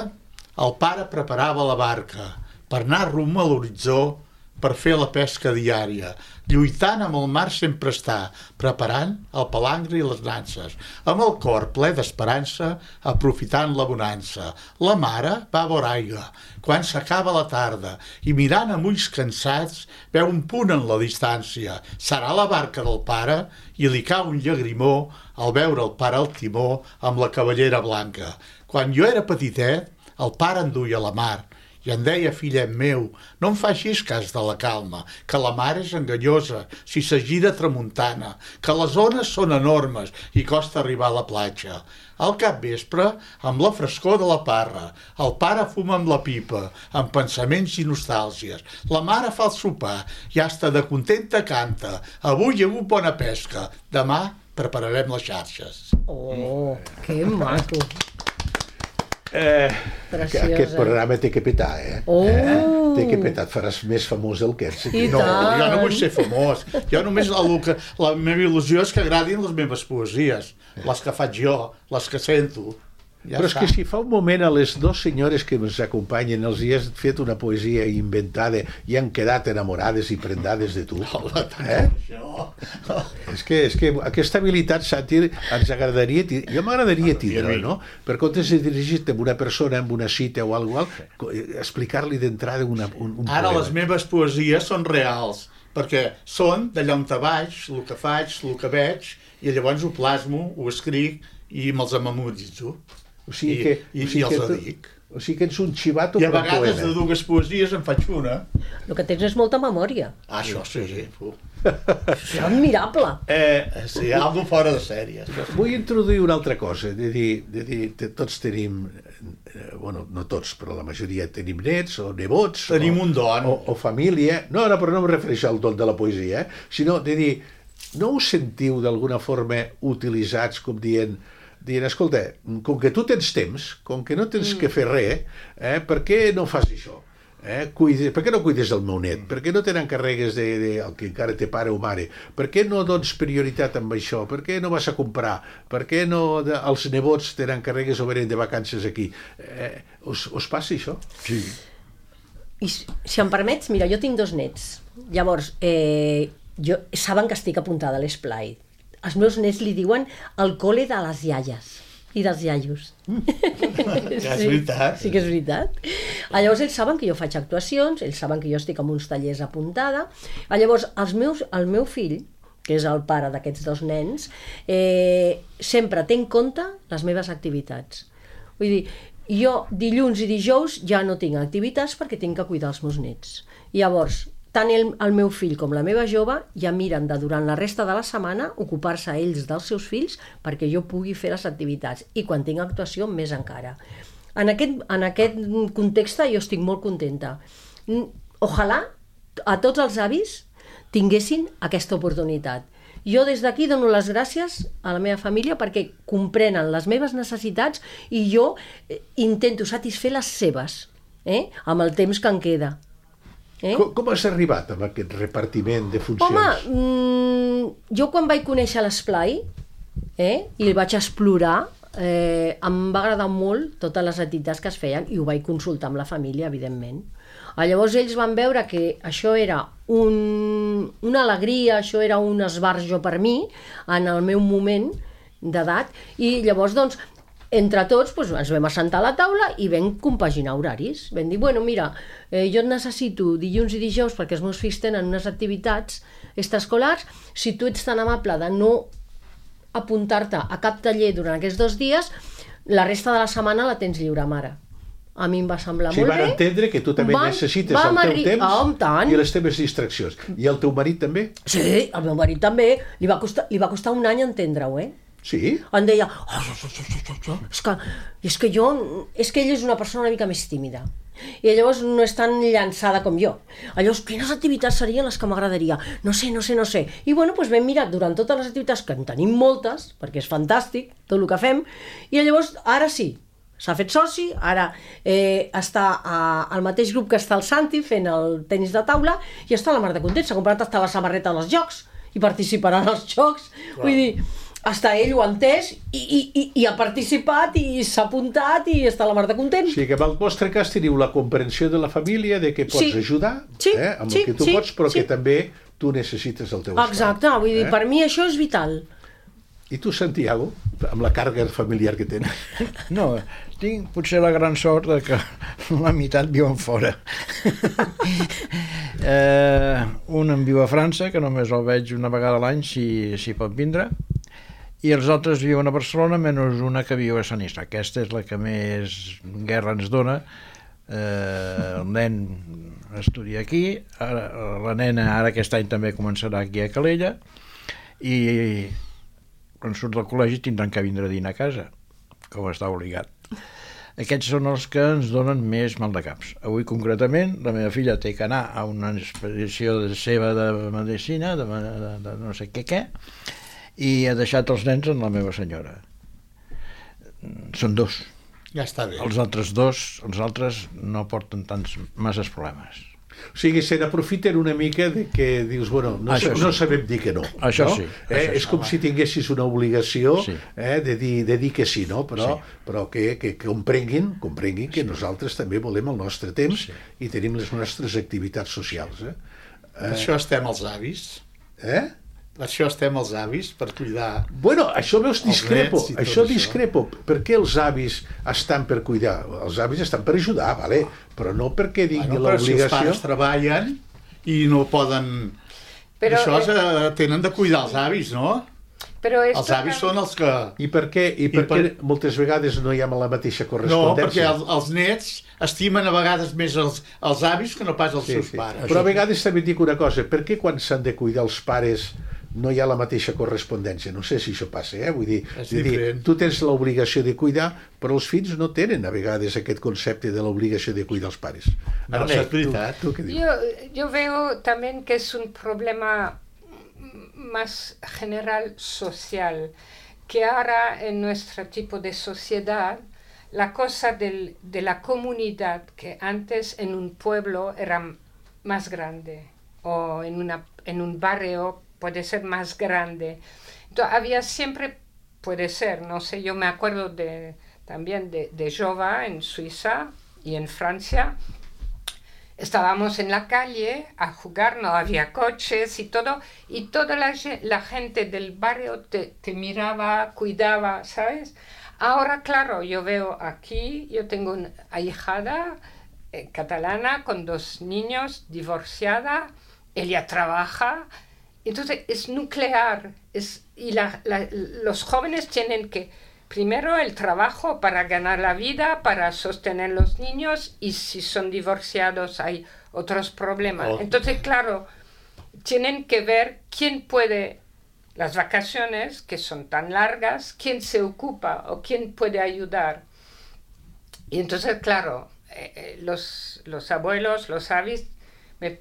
el pare preparava la barca per anar rumb a l'horitzó per fer la pesca diària. Lluitant amb el mar sempre està, preparant el palangre i les nanses, amb el cor ple d'esperança, aprofitant la bonança. La mare va a veure aigua, quan s'acaba la tarda, i mirant amb ulls cansats, veu un punt en la distància. Serà la barca del pare, i li cau un llagrimó al veure el pare al timó amb la cavallera blanca. Quan jo era petitet, el pare em duia a la mar, i em deia, fillet meu, no em facis cas de la calma, que la mar és enganyosa si se gira tramuntana, que les ones són enormes i costa arribar a la platja. Al capvespre, amb la frescor de la parra, el pare fuma amb la pipa, amb pensaments i nostàlgies. La mare fa el sopar i hasta de contenta canta. Avui hi ha hagut bona pesca, demà prepararem les xarxes. Oh, que maco. Eh, Preciosa. aquest programa té que petar, eh? Oh. eh? Té que petar, et faràs més famós del que ets. I No, tant. jo no vull ser famós. Jo només el que, la meva il·lusió és que agradin les meves poesies, les que faig jo, les que sento. Ja Però és està. que si fa un moment a les dues senyores que ens acompanyen els hi has fet una poesia inventada i han quedat enamorades i prendades de tu, Hola, tant eh? això. És que, és que aquesta habilitat sàtir ens agradaria, ti- jo m'agradaria tindre, no? Per comptes de dirigir-te a una persona, amb una cita o alguna cosa, explicar-li d'entrada una, un, un Ara poema. les meves poesies són reals, perquè són d'allà on te vaig, el que faig, el que veig, i llavors ho plasmo, ho escric i me'ls amamutzo. O sigui I, que, i, o sigui i els que tu, dic. O sigui que ets un xivato I a per vegades poema. de dues poesies en faig una. El que tens és molta memòria. Ah, això sí, sí. És admirable. Eh, sí, algo fora de sèries. Vull introduir una altra cosa, de dir, de dir te- tots tenim, eh, bueno, no tots, però la majoria tenim nets o nebots. Tenim o, un don. O, o família. No, no, però no em refereixo al don de la poesia, eh? Sinó de dir, no us sentiu d'alguna forma utilitzats com dient, dient, escolta, com que tu tens temps, com que no tens mm. que fer res, eh, per què no fas això? Eh? Cuide, per què no cuides del meu net? Per què no te n'encarregues de, de, el que encara té pare o mare? Per què no dones prioritat amb això? Per què no vas a comprar? Per què no de, els nebots te n'encarregues o venen de vacances aquí? Eh, us, us passa això? Sí. I si, si em permets, mira, jo tinc dos nets. Llavors, eh, jo, saben que estic apuntada a l'esplai. Els meus nets li diuen el col·le de les iaies i dels iaios. Ja és veritat. Sí, sí que és veritat. Ah, llavors ells saben que jo faig actuacions, ells saben que jo estic en uns tallers apuntada. Ah, llavors els meus, el meu fill, que és el pare d'aquests dos nens, eh, sempre té en compte les meves activitats. Vull dir, jo dilluns i dijous ja no tinc activitats perquè tinc que cuidar els meus nets. Llavors, tant el, el meu fill com la meva jove ja miren de durant la resta de la setmana ocupar-se ells dels seus fills perquè jo pugui fer les activitats i quan tinc actuació més encara. En aquest, en aquest context jo estic molt contenta. Ojalà a tots els avis tinguessin aquesta oportunitat. Jo des d'aquí dono les gràcies a la meva família perquè comprenen les meves necessitats i jo intento satisfer les seves, eh? Amb el temps que em queda. Eh? Com, com has arribat amb aquest repartiment de funcions? Home, mmm, jo quan vaig conèixer l'esplai eh, i el vaig explorar, eh, em va agradar molt totes les activitats que es feien i ho vaig consultar amb la família, evidentment. Ah, llavors ells van veure que això era un, una alegria, això era un esbarjo per mi en el meu moment d'edat i llavors doncs entre tots doncs, ens vam assentar a la taula i vam compaginar horaris. Vam dir, bueno, mira, eh, jo et necessito dilluns i dijous perquè els meus fills tenen unes activitats extraescolars, si tu ets tan amable de no apuntar-te a cap taller durant aquests dos dies, la resta de la setmana la tens lliure, mare. A mi em va semblar o sigui, molt van bé. entendre que tu també van, necessites el teu arri... temps oh, tant. i les teves distraccions. I el teu marit també? Sí, el meu marit també. Li va costar, li va costar un any entendre-ho, eh? Sí? Em deia, oh, oh, oh, oh, oh, oh. És, que, és que jo, és que ell és una persona una mica més tímida i llavors no és tan llançada com jo. Llavors, quines activitats serien les que m'agradaria? No sé, no sé, no sé. I bueno, doncs vam mirar durant totes les activitats, que en tenim moltes, perquè és fantàstic tot el que fem, i llavors ara sí, s'ha fet soci, ara eh, està a, al mateix grup que està el Santi fent el tenis de taula i està la mar de content, s'ha comprat hasta la samarreta dels jocs i participarà en els jocs. Wow. Vull dir, hasta ell ho ha entès i, i, i, i ha participat i s'ha apuntat i està a la mar de content. O sigui que en el vostre cas teniu la comprensió de la família de que pots sí. ajudar sí. eh, amb sí. el que tu sí. pots, però sí. que també tu necessites el teu espai. Exacte, vull dir, eh? per mi això és vital. I tu, Santiago, amb la càrrega familiar que tens? No, tinc potser la gran sort de que la meitat viuen fora. eh, un en viu a França, que només el veig una vegada a l'any si, si pot vindre, i els altres viuen a Barcelona, menys una que viu a Sant Isla. Aquesta és la que més guerra ens dona. Eh, el nen estudia aquí, ara, la nena ara aquest any també començarà aquí a Calella, i quan surt del col·legi tindran que vindre a dinar a casa, com està obligat. Aquests són els que ens donen més mal de caps. Avui concretament la meva filla té que anar a una expedició de seva de medicina, de, de, de no sé què què, i ha deixat els nens amb la meva senyora. Són dos. Ja està bé. Els altres dos, els altres no porten tants masses problemes. O sigui, se n'aprofiten una mica de que dius, bueno, no, Això no sí. sabem dir que no. Això no? sí, Eh? això És com si tinguessis una obligació Sí. eh, de, dir, de dir que sí, no? Però, Sí. però que, que comprenguin, comprenguin que nosaltres també volem el nostre temps Sí. i tenim les nostres activitats socials. Eh? Per això estem els avis. Eh? Per això estem els avis, per cuidar. Bueno, això veus, discrepo, nets i tot això això. discrepo. Per què els avis estan per cuidar? Els avis estan per ajudar, vale? Però no perquè dingui Bueno, però si els l'obligació. pares treballen i no poden... Però, Això eh... tenen de cuidar els avis, no? Però els avis són els que... I per què, i per, I per... què moltes vegades no hi ha la mateixa No, correspondència? perquè el, els nets estimen a vegades més els, els avis que no pas els Sí, seus sí. pares. Però a vegades també et dic una cosa, per què quan s'han de cuidar els pares no hi ha la mateixa correspondència? No sé si això passa, eh? Vull dir, És vull dir diferent. tu tens l'obligació de cuidar, però els fills no tenen a vegades aquest concepte de l'obligació de cuidar els pares. No, Arne, això és veritat. Tu, tu què dius? Yo, yo veo también que es un problema más general social, que ahora en nuestro tipo de sociedad, la cosa del, de la comunidad, que antes en un pueblo era más grande, o en, una, en un barrio puede ser más grande. Entonces había siempre, puede ser, no sé, yo me acuerdo de, también de, de Jova en Suiza y en Francia. Estábamos en la calle a jugar, no había coches y todo, y toda la, la gente del barrio te, te miraba, cuidaba, ¿sabes? Ahora, claro, yo veo aquí, yo tengo una ahijada eh, catalana con dos niños, divorciada, ella trabaja, entonces es nuclear, es, y la, la, los jóvenes tienen que... Primero el trabajo para ganar la vida, para sostener los niños, y si son divorciados hay otros problemas. Oh. Entonces, claro, tienen que ver quién puede, las vacaciones que son tan largas, quién se ocupa o quién puede ayudar. Y entonces, claro, eh, los, los abuelos, los avis, me,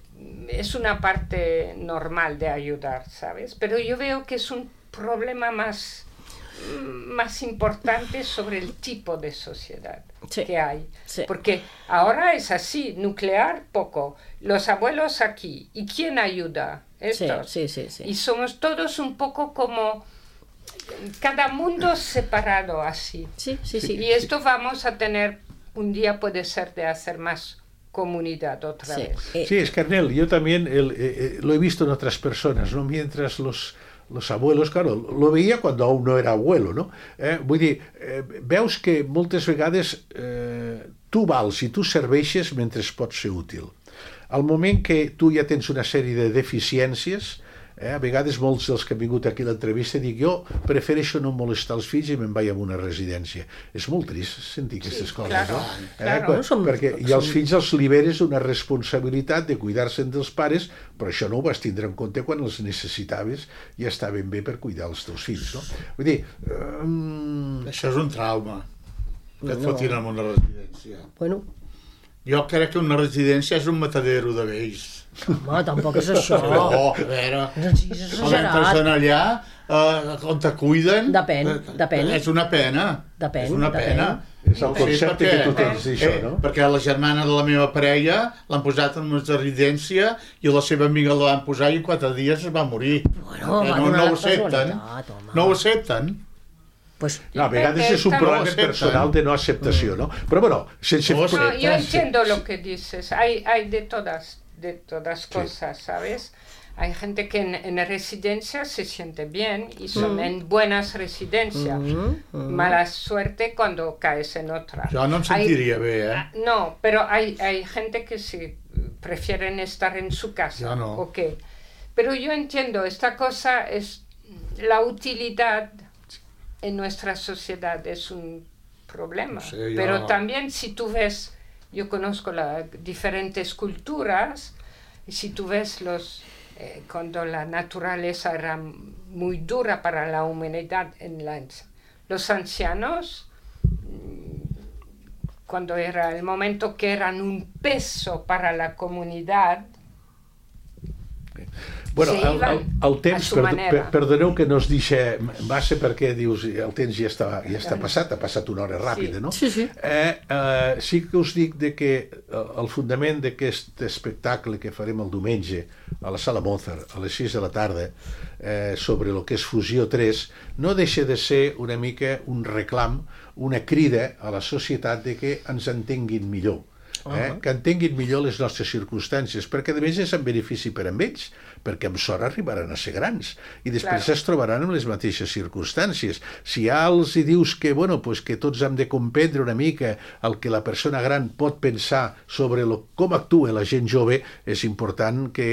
es una parte normal de ayudar, ¿sabes? Pero yo veo que es un problema más... más importante sobre el tipo de sociedad sí, que hay. Sí. Porque ahora es así, nuclear poco, los abuelos aquí, ¿y quién ayuda? Estos. Sí, sí, sí, sí. Y somos todos un poco como cada mundo separado así. Sí, sí, sí. Y esto vamos a tener, un día puede ser de hacer más comunidad otra Sí. vez. Eh, Sí, Escarnel, yo también el, eh, lo he visto en otras personas, ¿no? Mientras los, los abuelos, claro, lo veia quan aún no era abuelo, no? Eh, vull dir, eh, veus que moltes vegades eh, tu vals i tu serveixes mentre pots ser útil. Al moment que tu ja tens una sèrie de deficiències, eh, a vegades molts dels que han vingut aquí a l'entrevista dic jo prefereixo no molestar els fills i me'n vaig a una residència. És molt trist sentir aquestes Sí, coses, claro, no? claro. Eh, Som- perquè i els fills els liberes una responsabilitat de cuidar-se'n dels pares, però això no ho vas tindre en compte quan els necessitaves i estaven bé per cuidar els teus fills, no? Vull dir, um... Això és un trauma, que et No. fotin en una residència. Bueno, Jo crec que una residència és un matadero de vells. home, tampoc és això. No, a veure, No siguis quan entres exagerat. en allà, eh, on te cuiden... Depèn, eh, depèn. És una pena. Depèn, És una depèn. pena. És el concepte que tu tens d'això, no? Eh, perquè la germana de la meva parella l'han posat en una residència i la seva amiga la van posar i en quatre dies es va morir. Bueno, Eh, va no, donar no ho la accepten. casualitat, home. No ho accepten. Pues, No, a vegades és un No problema accepten. personal de no acceptació, no? Però bueno, sense... No, No, yo Sí. entiendo lo que dices. Hay, hay de todas, de todas Sí. cosas, ¿sabes? Hay gente que en, en residencias se siente bien y son en buenas residencias. Mala suerte cuando caes en otra. Jo no em Hay- sentiria bé, eh? No, pero hay, hay gente que sí prefieren estar en su casa. Yo no. ¿O qué? Pero yo entiendo, esta cosa es la utilidad en nuestra sociedad es un problema. Sí, yo- Pero también si tú ves, yo conozco las diferentes culturas, y si tú ves los eh, cuando la naturaleza era muy dura para la humanidad, en la, los ancianos, cuando era el momento que eran un peso para la comunidad. Bueno, Se el, el, iban el temps, a su per, manera. per, perdoneu que no es deixa massa perquè dius el temps ja està, ja està passat, ha passat una hora ràpida, Sí. no? Sí, sí. Eh, eh, sí que us dic de que eh, el fundament d'aquest espectacle que farem el diumenge a la Sala Mozart a les sis de la tarda eh, sobre el que és Fusió tres no deixa de ser una mica un reclam, una crida a la societat de que ens entenguin millor. Eh? Que entenguin millor les nostres circumstàncies, perquè a més és en benefici per a ells, perquè amb sort arribaran a ser grans i després Claro. es trobaran en les mateixes circumstàncies. Si ja els hi dius que, bueno, pues que tots hem de comprendre una mica el que la persona gran pot pensar sobre lo, com actua la gent jove, és important que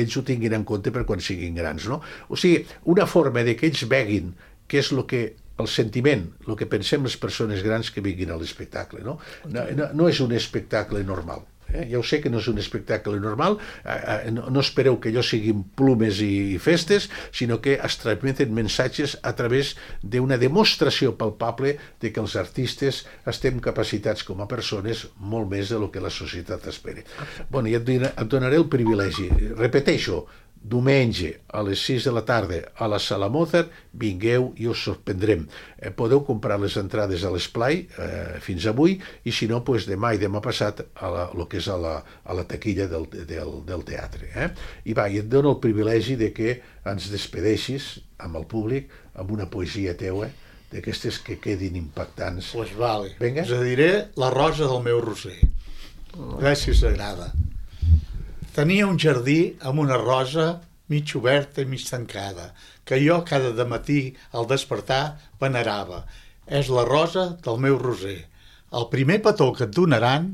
ells ho tinguin en compte per quan siguin grans, no? O sigui, una forma de que ells veguin què és el que el sentiment, el que pensem les persones grans que vinguin a l'espectacle, no? No, no, no és un espectacle normal. Eh? Ja ho sé que no és un espectacle normal, eh, no, no espereu que allò siguin plumes i, i festes, sinó que es transmeten missatges a través d'una demostració palpable de que els artistes estem capacitats com a persones molt més de lo que la societat espera. Bueno, ja et, et donaré el privilegi. Repeteixo, diumenge a les sis de la tarda a la Sala Mozart, vingueu i us sorprendrem. Eh, podeu comprar les entrades a l'Esplai eh, fins avui, i si no, pues, demà i demà passat a la, lo que és a la, a la taquilla del, del, del teatre. Eh? I va, i et dono el privilegi de que ens despedeixis amb el públic amb una poesia teua, d'aquestes que quedin impactants. Pues vale. Vinga. Us diré La rosa del meu roser. A veure si us agrada. Tenia un jardí amb una rosa mig oberta i mig tancada, que jo cada dematí al despertar venerava. És la rosa del meu roser. El primer petó que et donaran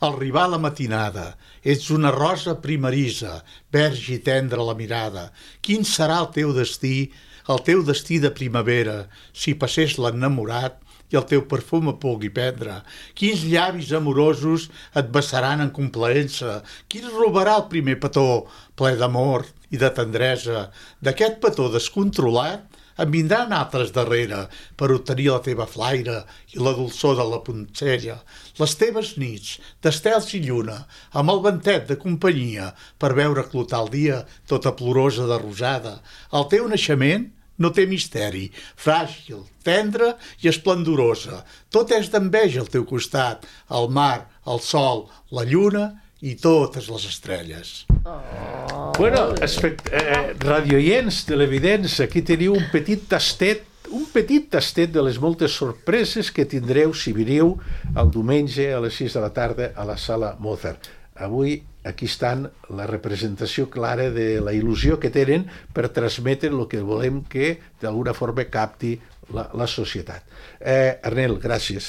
al arribar la matinada. Ets una rosa primerisa, verge i tendra la mirada. Quin serà el teu destí, el teu destí de primavera, si passés l'enamorat i el teu perfum et pugui prendre? Quins llavis amorosos et bessaran en complaença? Qui et robarà el primer petó ple d'amor i de tendresa? D'aquest petó descontrolat en vindran altres darrere per obtenir la teva flaire i la dolçor de la poncella. Les teves nits d'estels i lluna, amb el ventet de companyia per veure clotar el dia tota plorosa de rosada. El teu naixement no té misteri, fràgil, tendra i esplendorosa. Tot és d'enveja al teu costat, el mar, el sol, la lluna i totes les estrelles. Oh. Bueno, espect eh, radioients, televidents, aquí teniu un petit tastet, un petit tastet de les moltes sorpreses que tindreu si veniu el diumenge a les sis de la tarda a la Sala Mozart. Avui aquí estan la representació clara de la il·lusió que tenen per transmetre el que volem que d'alguna forma capti la, la societat. Eh, Arnel, gràcies.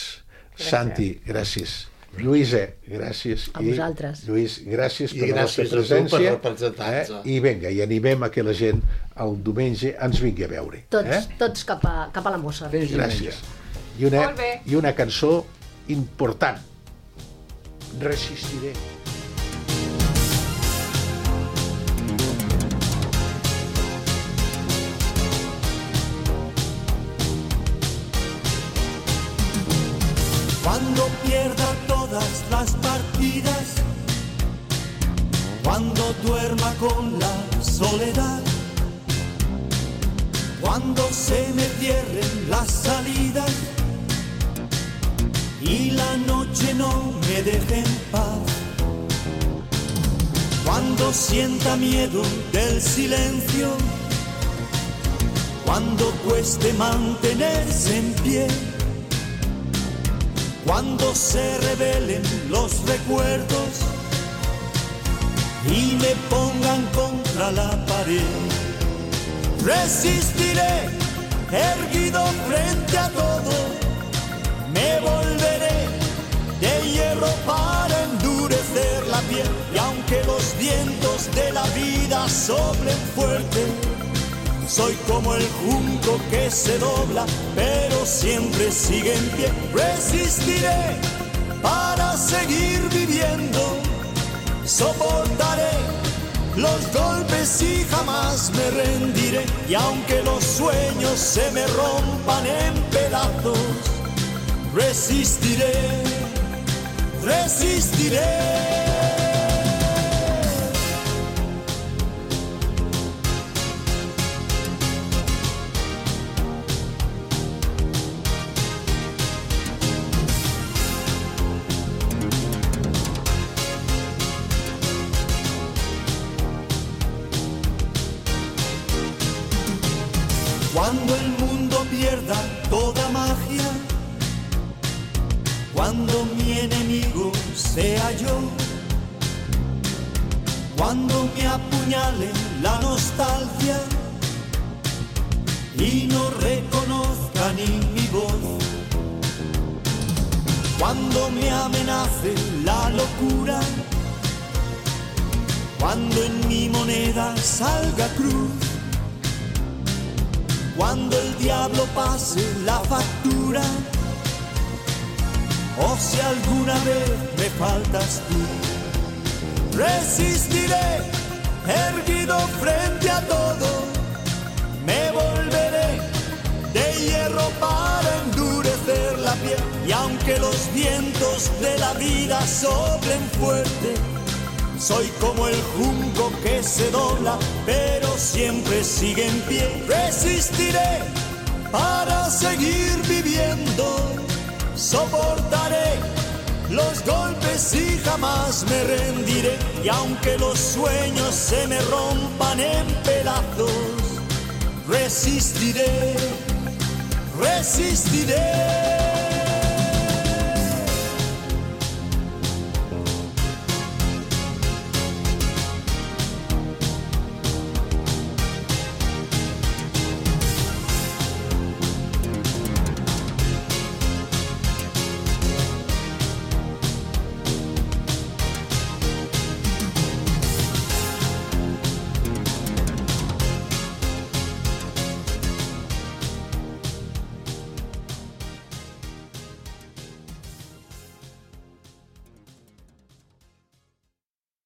gràcies. Santi, gràcies. Lluïsa, gràcies. A vosaltres. I, Lluís, gràcies per I la vostra gràcies a tu presència. per representar-nos. Eh? I vinga, i animem a que la gent el diumenge ens vingui a veure. Tots, eh? tots cap a, cap a la Mozart. Gràcies. I una, Molt bé. I una cançó important. Resistiré. Cuando pierda todas las partidas, cuando duerma con la soledad, cuando se me cierren las salidas y la noche no me deje en paz, cuando sienta miedo del silencio, cuando cueste mantenerse en pie, cuando se revelen los recuerdos y me pongan contra la pared, resistiré erguido frente a todo, me volveré de hierro para endurecer la piel, y aunque los vientos de la vida soplen fuerte, soy como el junco que se dobla, pero siempre sigue en pie. Resistiré para seguir viviendo, soportaré los golpes y jamás me rendiré. Y aunque los sueños se me rompan en pedazos, resistiré, resistiré. Cuando el mundo pierda toda magia, cuando mi enemigo sea yo, Cuando me apuñale la nostalgia y no reconozca ni mi voz, cuando me amenace la locura, cuando en mi moneda salga cruz, cuando el diablo pase la factura, o si alguna vez me faltas tú, resistiré erguido frente a todo, me volveré de hierro para endurecer la piel, y aunque los vientos de la vida soplen fuerte, soy como el junco que se dobla, pero siempre sigue en pie. Resistiré para seguir viviendo, soportaré los golpes y jamás me rendiré. Y aunque los sueños se me rompan en pedazos, resistiré, resistiré.